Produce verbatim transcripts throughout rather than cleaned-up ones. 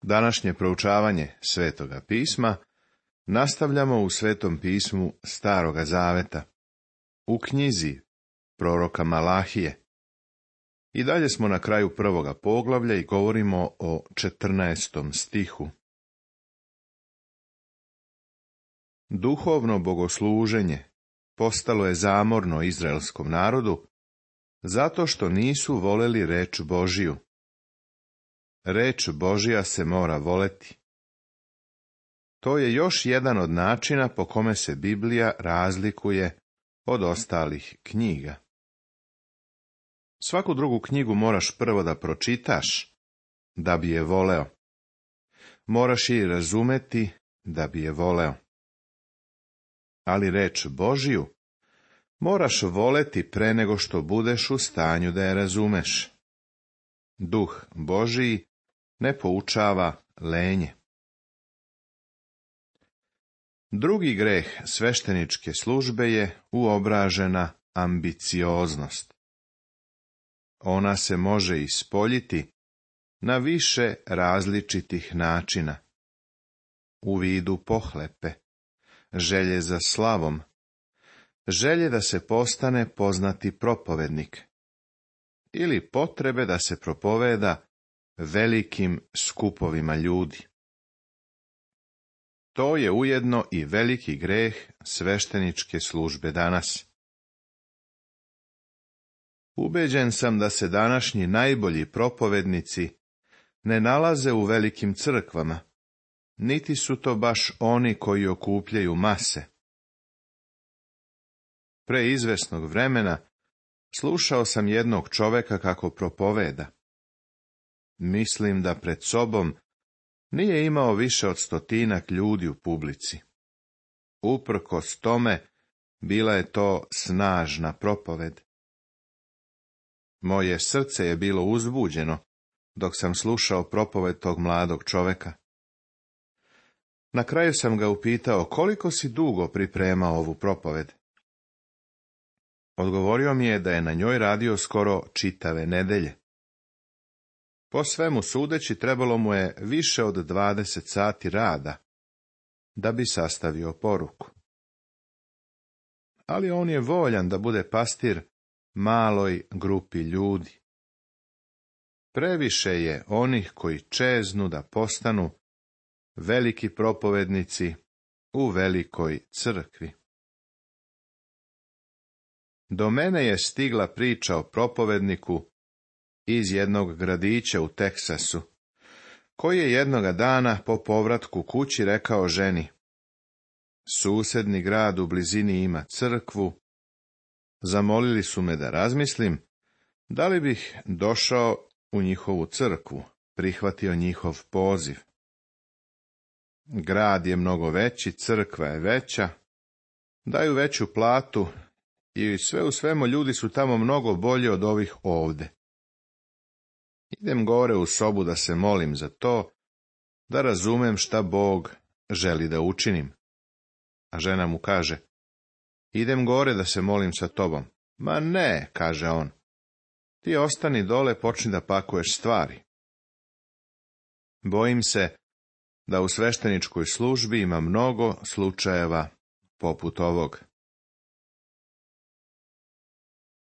Današnje proučavanje Svetoga pisma nastavljamo u Svetom pismu Staroga zaveta, u knjizi proroka Malahije. I dalje smo na kraju prvoga poglavlja i govorimo o četrnaestom stihu. Duhovno bogosluženje postalo je zamorno izraelskom narodu, zato što nisu voleli reč Božiju. Reč Božja se mora voleti. To je još jedan od načina po kome se Biblija razlikuje od ostalih knjiga. Svaku drugu knjigu moraš prvo da pročitaš, da bi je voleo. Moraš je razumeti, da bi je voleo. Ali reč Božju moraš voleti pre nego što budeš u stanju da je razumeš. Duh Božiji ne poučava lenje. Drugi greh svešteničke službe je uobražena ambicioznost. Ona se može ispoljiti na više različitih načina. U vidu pohlepe, želje za slavom, želje da se postane poznati propovednik ili potrebe da se propoveda velikim skupovima ljudi. To je ujedno i veliki greh svešteničke službe danas. Ubeđen sam da se današnji najbolji propovednici ne nalaze u velikim crkvama, niti su to baš oni koji okupljaju mase. Pre izvesnog vremena slušao sam jednog čoveka kako propoveda. Mislim da pred sobom nije imao više od stotinak ljudi u publici. Uprkos tome, bila je to snažna propoved. Moje srce je bilo uzbuđeno dok sam slušao propoved tog mladog čoveka. Na kraju sam ga upitao koliko si dugo pripremao ovu propoved. Odgovorio mi je da je na njoj radio skoro čitave nedelje. Po svemu sudeći trebalo mu je više od dvadeset sati rada da bi sastavio poruku. Ali on je voljan da bude pastir maloj grupi ljudi. Previše je onih koji čeznu da postanu veliki propovednici u velikoj crkvi. Do mene je stigla priča o propovedniku iz jednog gradića u Teksasu, koji je jednoga dana po povratku kući rekao ženi: susedni grad u blizini ima crkvu, zamolili su me da razmislim da li bih došao u njihovu crkvu, prihvatio njihov poziv. Grad je mnogo veći, crkva je veća, daju veću platu i sve u svemu ljudi su tamo mnogo bolji od ovih ovde. Idem gore u sobu da se molim za to, da razumem šta Bog želi da učinim. A žena mu kaže: idem gore da se molim sa tobom. Ma ne, kaže on, ti ostani dole, počni da pakuješ stvari. Bojim se da u svešteničkoj službi ima mnogo slučajeva poput ovog.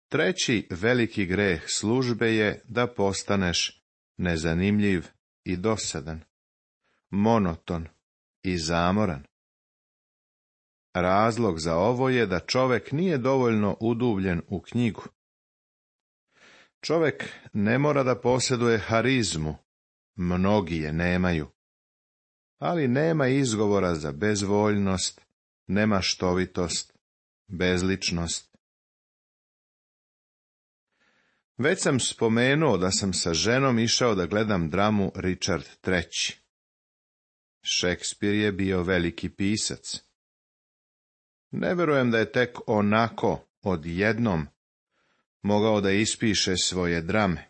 Treći veliki greh službe je da postaneš nezanimljiv i dosadan, monoton i zamoran. Razlog za ovo je da čovek nije dovoljno uduvljen u knjigu. Čovek ne mora da posjeduje harizmu, mnogi je nemaju, ali nema izgovora za bezvoljnost, nemaštovitost, bezličnost. Već sam spomenuo da sam sa ženom išao da gledam dramu Richard treći. Šekspir je bio veliki pisac. Ne verujem da je tek onako, odjednom, mogao da ispiše svoje drame.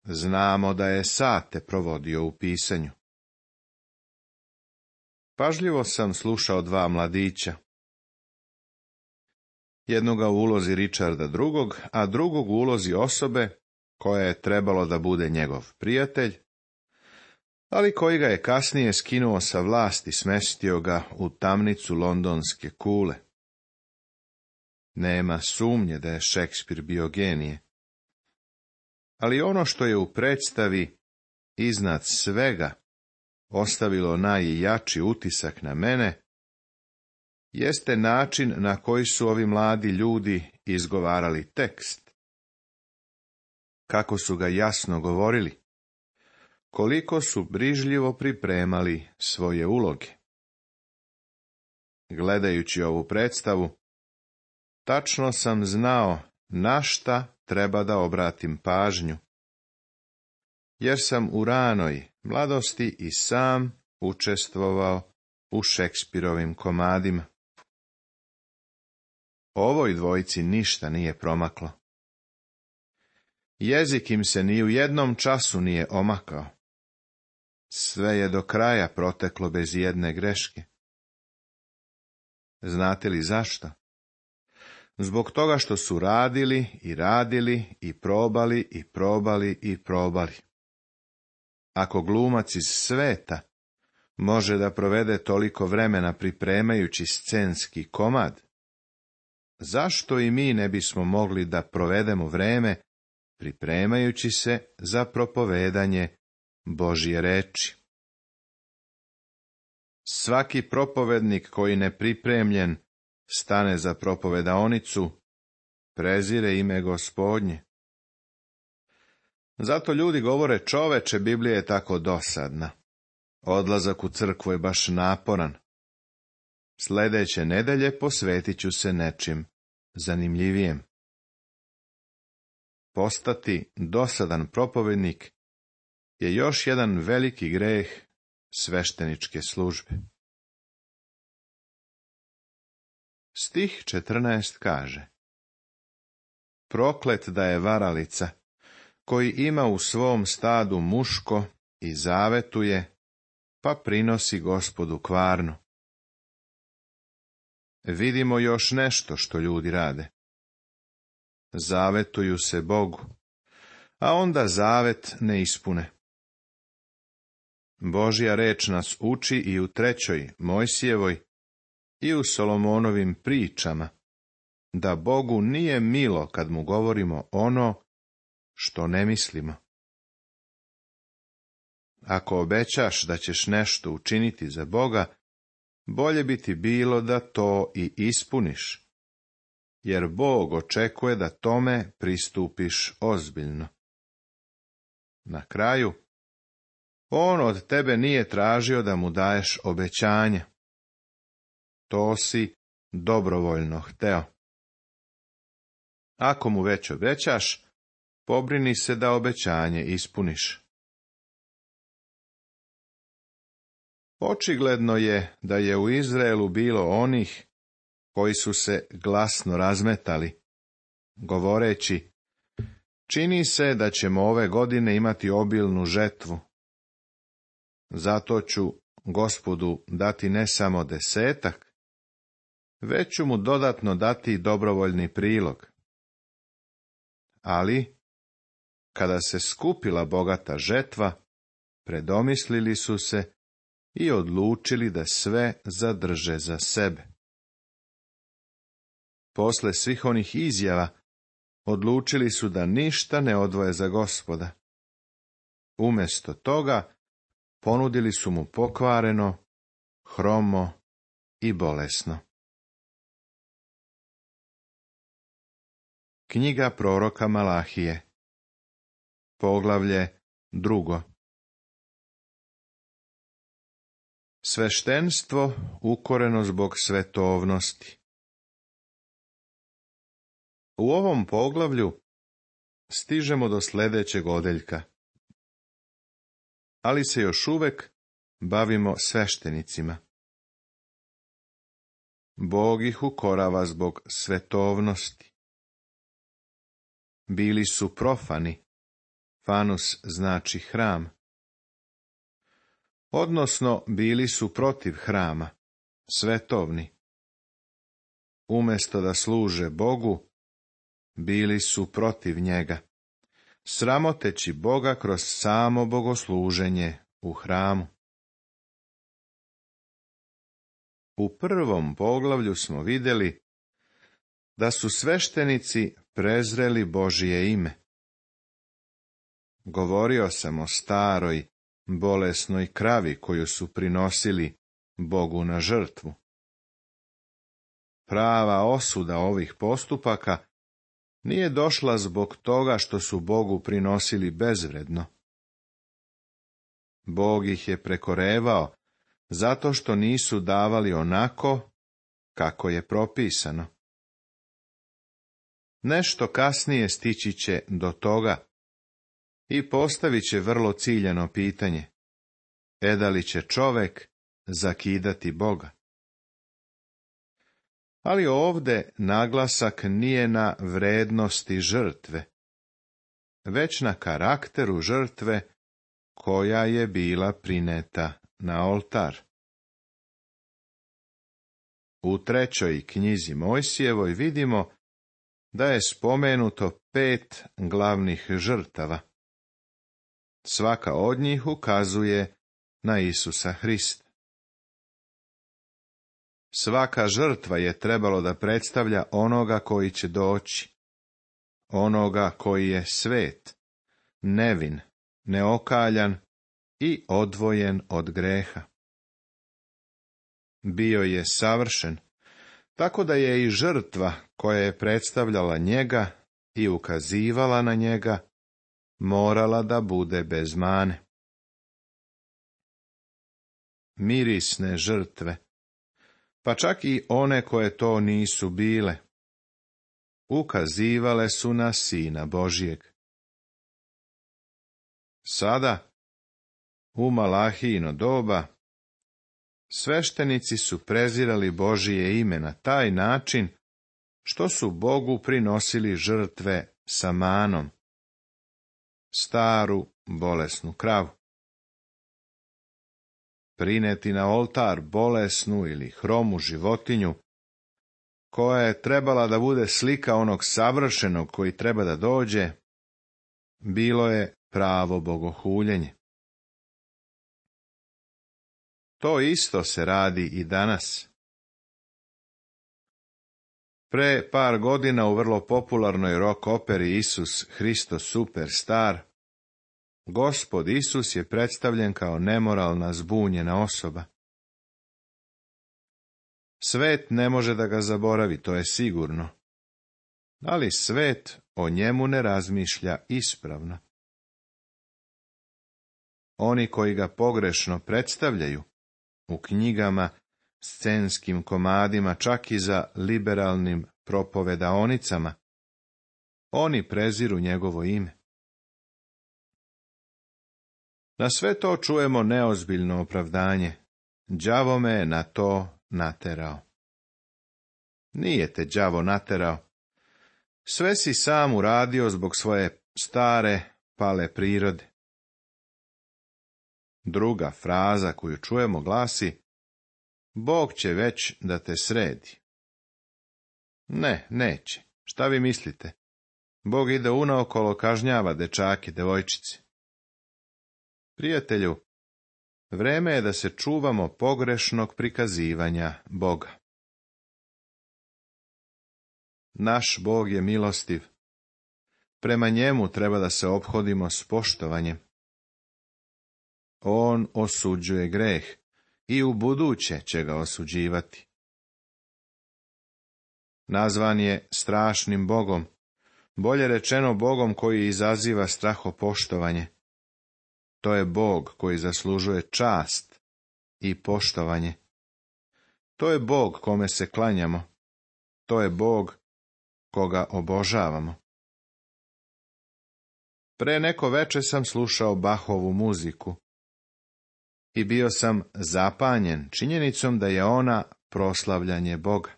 Znamo da je sate provodio u pisanju. Pažljivo sam slušao dva mladića. Jednoga u ulozi Richarda drugog, a drugog u ulozi osobe koja je trebalo da bude njegov prijatelj, ali koji ga je kasnije skinuo sa vlasti, smestio ga u tamnicu londonske kule. Nema sumnje da je Šekspir bio genije. Ali ono što je u predstavi iznad svega ostavilo najjači utisak na mene, jeste način na koji su ovi mladi ljudi izgovarali tekst. Kako su ga jasno govorili, koliko su brižljivo pripremali svoje uloge. Gledajući ovu predstavu, tačno sam znao na šta treba da obratim pažnju, jer sam u ranoj mladosti i sam učestvovao u Šekspirovim komadima. Ovoj dvojici ništa nije promaklo. Jezik im se ni u jednom času nije omakao. Sve je do kraja proteklo bez jedne greške. Znate li zašto? Zbog toga što su radili i radili i probali i probali i probali. Ako glumac iz sveta može da provede toliko vremena pripremajući scenski komad, zašto i mi ne bismo mogli da provedemo vreme pripremajući se za propovedanje Božje reči? Svaki propovednik koji nepripremljen stane za propovedaonicu, prezire ime Gospodnje. Zato ljudi govore: čoveče, Biblija je tako dosadna. Odlazak u crkvu je baš naporan. Sljedeće nedelje posvetit ću se nečim zanimljivijem. Postati dosadan propovednik je još jedan veliki greh svešteničke službe. Stih četrnaest kaže: proklet da je varalica, koji ima u svom stadu muško i zavetuje, pa prinosi Gospodu kvarnu. Vidimo još nešto što ljudi rade. Zavetuju se Bogu, a onda zavet ne ispune. Božja reč nas uči i u trećoj Mojsijevoj i u Solomonovim pričama, da Bogu nije milo kad mu govorimo ono što ne mislimo. Ako obećaš da ćeš nešto učiniti za Boga, bolje bi ti bilo da to i ispuniš, jer Bog očekuje da tome pristupiš ozbiljno. Na kraju, on od tebe nije tražio da mu daješ obećanja. To si dobrovoljno hteo. Ako mu već obećaš, pobrini se da obećanje ispuniš. Očigledno je da je u Izraelu bilo onih koji su se glasno razmetali, govoreći: čini se da ćemo ove godine imati obilnu žetvu. Zato ću Gospodu dati ne samo desetak, već ću mu dodatno dati dobrovoljni prilog. Ali, kada se skupila bogata žetva, predomislili su se i odlučili da sve zadrže za sebe. Posle svih onih izjava, odlučili su da ništa ne odvoje za Gospoda. Umjesto toga, ponudili su mu pokvareno, hromo i bolesno. Knjiga proroka Malahije, poglavlje drugo. Sveštenstvo ukoreno zbog svetovnosti. U ovom poglavlju stižemo do sljedećeg odeljka, ali se još uvek bavimo sveštenicima. Bog ih ukorava zbog svetovnosti. Bili su profani, fanus znači hram. Odnosno, bili su protiv hrama, svetovni. Umjesto da služe Bogu, bili su protiv njega, sramoteći Boga kroz samo bogosluženje u hramu. U prvom poglavlju smo vidjeli da su sveštenici prezreli Božije ime. Govorio sam o staroj, bolesnoj kravi koju su prinosili Bogu na žrtvu. Prava osuda ovih postupaka nije došla zbog toga što su Bogu prinosili bezvredno. Bog ih je prekorevao zato što nisu davali onako kako je propisano. Nešto kasnije stići će do toga i postavit će vrlo ciljano pitanje: e da li će čovek zakidati Boga? Ali ovdje naglasak nije na vrednosti žrtve, već na karakteru žrtve koja je bila prineta na oltar. U trećoj knjizi Mojsijevoj vidimo da je spomenuto pet glavnih žrtava. Svaka od njih ukazuje na Isusa Hrista. Svaka žrtva je trebalo da predstavlja onoga koji će doći, onoga koji je svet, nevin, neokaljan i odvojen od greha. Bio je savršen, tako da je i žrtva koja je predstavljala njega i ukazivala na njega morala da bude bez mane. Mirisne žrtve, pa čak i one koje to nisu bile, ukazivale su na Sina Božijeg. Sada, u Malahijino doba, sveštenici su prezirali Božije ime na taj način što su Bogu prinosili žrtve sa manom, staru bolesnu kravu. Prineti na oltar bolesnu ili hromu životinju, koja je trebala da bude slika onog savršenog koji treba da dođe, bilo je pravo bogohuljenje. To isto se radi i danas. Pre par godina u vrlo popularnoj rock operi Isus Hristos Superstar, Gospod Isus je predstavljen kao nemoralna, zbunjena osoba. Svet ne može da ga zaboravi, to je sigurno, ali svet o njemu ne razmišlja ispravno. Oni koji ga pogrešno predstavljaju, u knjigama, scenskim komadima, čak i za liberalnim propovedaonicama, oni preziru njegovo ime. Na sve to čujemo neozbiljno opravdanje: đavo me je na to naterao. Nije te đavo naterao. Sve si sam uradio zbog svoje stare, pale prirode. Druga fraza koju čujemo glasi: Bog će već da te sredi. Ne, neće. Šta vi mislite? Bog ide unaokolo kažnjava dečake, devojčice. Prijatelju, vreme je da se čuvamo pogrešnog prikazivanja Boga. Naš Bog je milostiv. Prema njemu treba da se ophodimo s poštovanjem. On osuđuje greh i ubuduće će ga osuđivati. Nazvan je strašnim Bogom, bolje rečeno Bogom koji izaziva strahopoštovanje. To je Bog koji zaslužuje čast i poštovanje. To je Bog kome se klanjamo. To je Bog koga obožavamo. Pre neko veče sam slušao Bachovu muziku i bio sam zapanjen činjenicom da je ona proslavljanje Boga.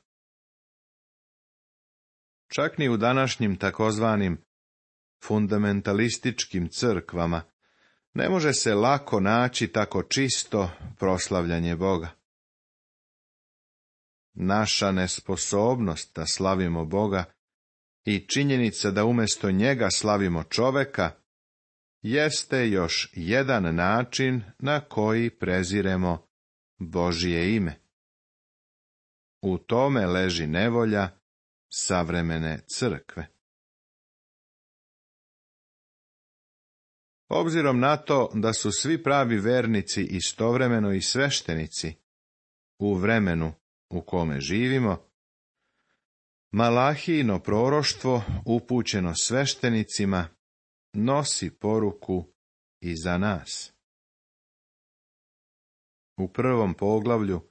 Čak ni u današnjim takozvanim fundamentalističkim crkvama ne može se lako naći tako čisto proslavljanje Boga. Naša nesposobnost da slavimo Boga i činjenica da umjesto njega slavimo čoveka jeste još jedan način na koji preziremo Božje ime. U tome leži nevolja savremene crkve. Obzirom na to da su svi pravi vernici istovremeno i sveštenici u vremenu u kome živimo, Malahijino proroštvo upućeno sveštenicima nosi poruku i za nas. U prvom poglavlju,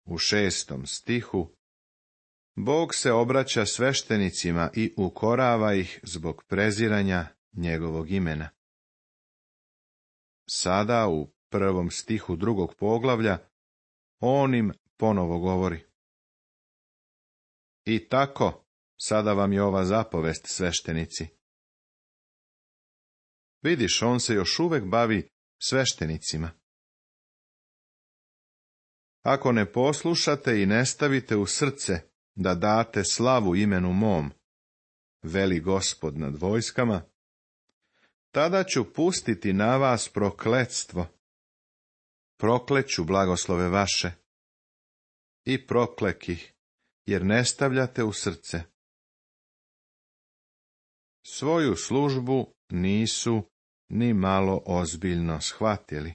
u šestom stihu, Bog se obraća sveštenicima i ukorava ih zbog preziranja njegovog imena. Sada u prvom stihu drugog poglavlja on im ponovo govori. I tako, sada vam je ova zapovest, sveštenici. Vidiš, on se još uvek bavi sveštenicima. Ako ne poslušate i ne stavite u srce da date slavu imenu mom, veli Gospod nad vojskama, tada ću pustiti na vas prokletstvo. Prokleću blagoslove vaše i proklek ih, jer ne stavljate u srce. Svoju službu nisu ni malo ozbiljno shvatili.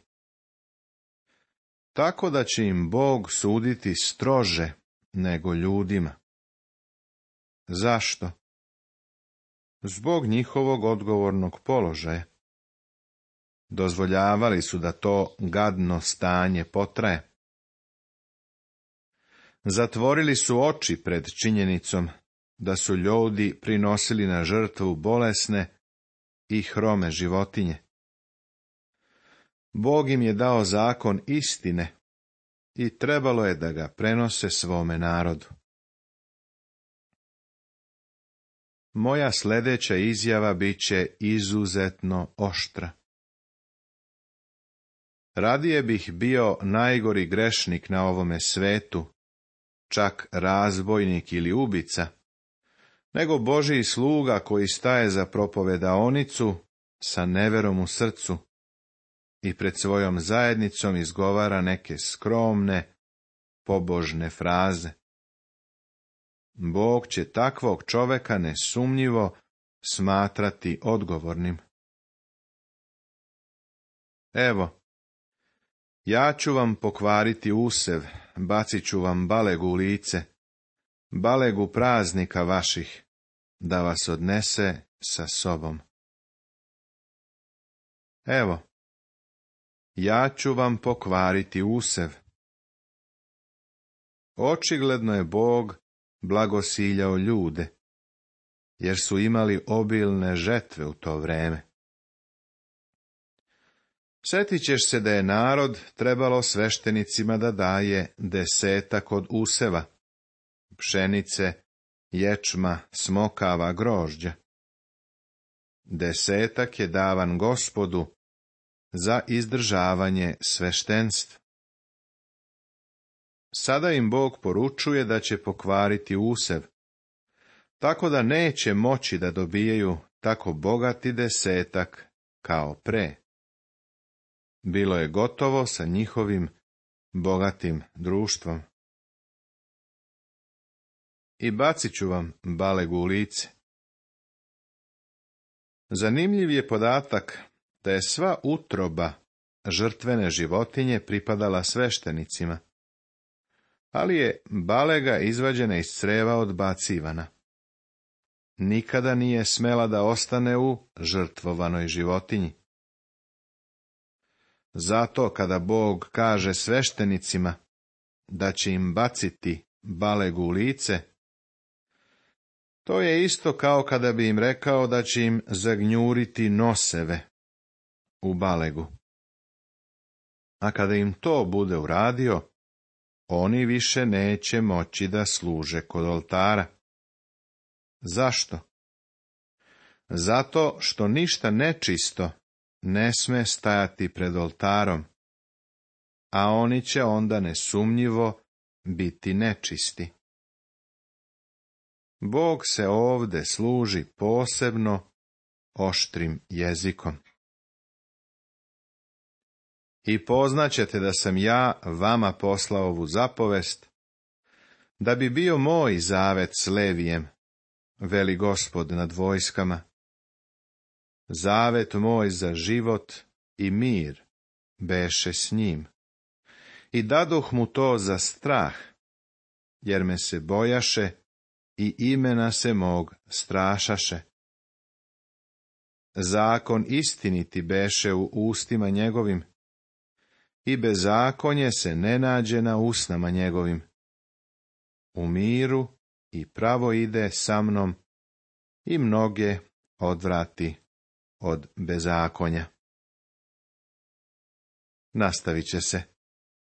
Tako da će im Bog suditi strože nego ljudima. Zašto? Zbog njihovog odgovornog položaja. Dozvoljavali su da to gadno stanje potraje. Zatvorili su oči pred činjenicom da su ljudi prinosili na žrtvu bolesne i hrome životinje. Bog im je dao zakon istine i trebalo je da ga prenose svome narodu. Moja sljedeća izjava bit će izuzetno oštra. Radije bih bio najgori grešnik na ovome svetu, čak razbojnik ili ubica, nego Božji sluga koji staje za propovedaonicu sa neverom u srcu i pred svojom zajednicom izgovara neke skromne, pobožne fraze. Bog će takvog čoveka nesumnjivo smatrati odgovornim. Evo, ja ću vam pokvariti usev, bacit ću vam balegu u lice, balegu praznika vaših, da vas odnese sa sobom. Evo, ja ću vam pokvariti usev. Očigledno je Bog blagosiljao ljude, jer su imali obilne žetve u to vreme. Sjetit ćeš se da je narod trebalo sveštenicima da daje desetak od useva, pšenice, ječma, smokava, grožđa. Desetak je davan Gospodu za izdržavanje sveštenstva. Sada im Bog poručuje da će pokvariti usev, tako da neće moći da dobijaju tako bogati desetak kao pre. Bilo je gotovo sa njihovim bogatim društvom. I bacit ću vam balegu u lice. Zanimljiv je podatak da je sva utroba žrtvene životinje pripadala sveštenicima, ali je balega izvađena iz creva odbacivana. Nikada nije smela da ostane u žrtvovanoj životinji. Zato kada Bog kaže sveštenicima da će im baciti balegu u lice, to je isto kao kada bi im rekao da će im zagnjuriti noseve u balegu. A kada im to bude uradio, oni više neće moći da služe kod oltara. Zašto? Zato što ništa nečisto ne sme stajati pred oltarom, a oni će onda nesumnjivo biti nečisti. Bog se ovde služi posebno oštrim jezikom. I poznaćete da sam ja vama poslao ovu zapovest, da bi bio moj zavet s Levijem, veli Gospod nad vojskama. Zavet moj za život i mir beše s njim. I dadoh mu to za strah, jer me se bojaše i imena se mog strašaše. Zakon istiniti beše u ustima njegovim, i bezakonje se ne nađe na usnama njegovim. U miru i pravo ide sa mnom, i mnoge odvrati od bezakonja. Nastavit će se